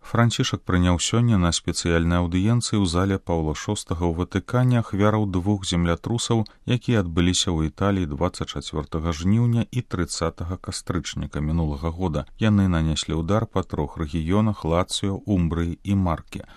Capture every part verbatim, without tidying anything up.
Францішак прыняў сёння на спецыяльнай аўдыенцыі ў зале Паўла шостага ў Ватыкане ахвяраў двух землятрусаў, якія адбыліся ў Італіі дваццаць чацвёртага жніўня і трыццатага кастрычніка мінулага года. Яны нанеслі ўдар па трох рэгіёнах Лацыё, Умбрыі і Марке.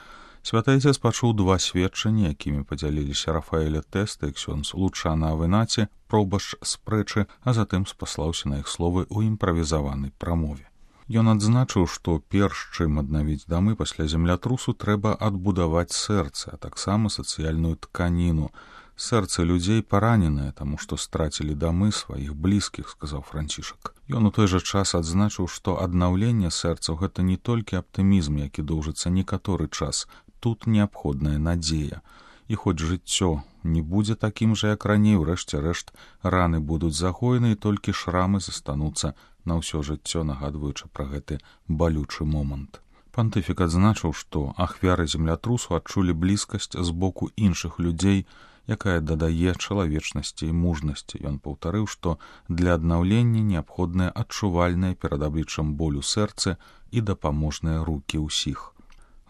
Святайцец пачуў два сведчанні, якімі падзяліліся Рафаэля Тэста і ксёндз Лучана Авенаці, пробашч спрэчы, а затым спаслаўся на іх словы ў імправізаванай прамове. Ён адзначыў, што перш чым аднавіць дамы пасля землятрусу, трэба адбудаваць сэрца, а таксама сацыяльную тканіну. Сэрцы людзей параненыя, таму што страцілі дамы сваіх блізкіх, сказаў Францішак. Ён у той жа час адзначыў, што аднаўленне сэрцаў — гэта не толькі аптымізм, які доўжыцца некаторы час, тут неабходная надзея. І хоць жыццё не будзе такім жа, як раней, урэшце рэшт раны будуць загоены, і толькі шрамы застануцца на ўсё жыццё, нагадваючы пра гэты балючы момант. Пантыфік адзначыў, што ахвяры землятрусу адчулі блізкасць з боку іншых людзей, якая дадае чалавечнасці і мужнасці. Ён паўтарыў, што для аднаўлення неабходныя адчувальныя перад абліччам болю сэрцы і дапаможныя рукі ўсіх.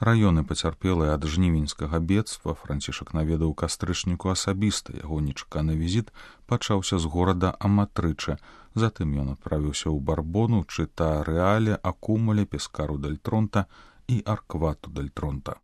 Раёны, пацярпелыя ад жнівеньскага бедства, Францішак наведаў кастрычніку асабіста. Яго нечаканы візіт пачаўся з горада Аматрыча. Затым ён адправіўся ў Барбону, Чыта Рэале, Акумуле, Пескару дель Тронта і Арквату дель Тронта.